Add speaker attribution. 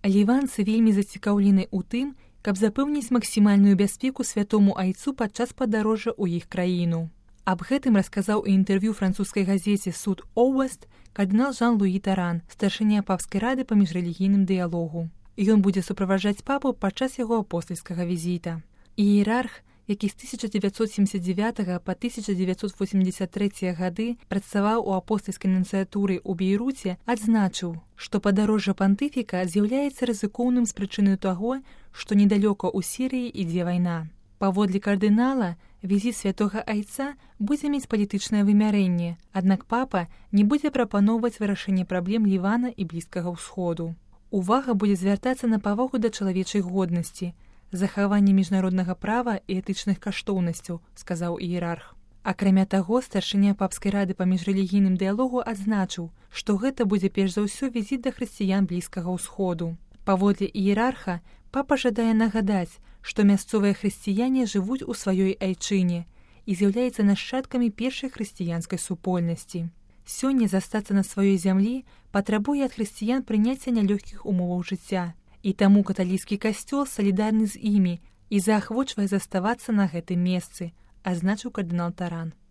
Speaker 1: Ліванцы вельмі зацікаўлены ў тым, каб запэўніць максімальную бяспеку святому айцу падчас падарожжа ў іх краіну. Аб гэтым расказаў у інтэрв'ю французскай газеце «Суд Оўест» кардынал Жан-Луі Таран, старшыня папскай рады па міжрэлігійным дыялогу. Ён будзе суправаджаць папу падчас яго апостальскага візіта. Іерарх, які з 1979 па 1983 гады працаваў у апостальскай нунцыятуры ў Бейруце, адзначыў, што падарожжа пантыфіка з'яўляецца рызыкоўным з прычыны таго, што недалёка ў Сірыі ідзе вайна. Паводле кардынала, візіт святога айца будзе мець палітычнае вымярэнне, аднак папа не будзе прапаноўваць вырашэнне праблем Лівана і Блізкага ўсходу. Увага будзе звяртацца на павагу да чалавечай годнасці, захаванне міжнароднага права і этычных каштоўнасцяў, сказаў іерарх. Акрамя таго, старшыня папскай рады па міжрэлігійным дыялогу адзначыў, што гэта будзе перш за ўсё візіт да хрысціян Блізкага ўсходу. Паводле іерарха, папа жадае нагадаць, што мясцовыя хрысціяне жывуць у сваёй айчыне і з'яўляюцца нашчадкамі першай хрысціянскай супольнасці. Сёння застацца на сваёй зямлі патрабуе ад хрысціян прыняцця нялёгкіх умоваў жыцця, і таму каталіцкі касцёл салідарны з імі і заахвочвае заставацца на гэтым месцы, азначыў кардынал Таран.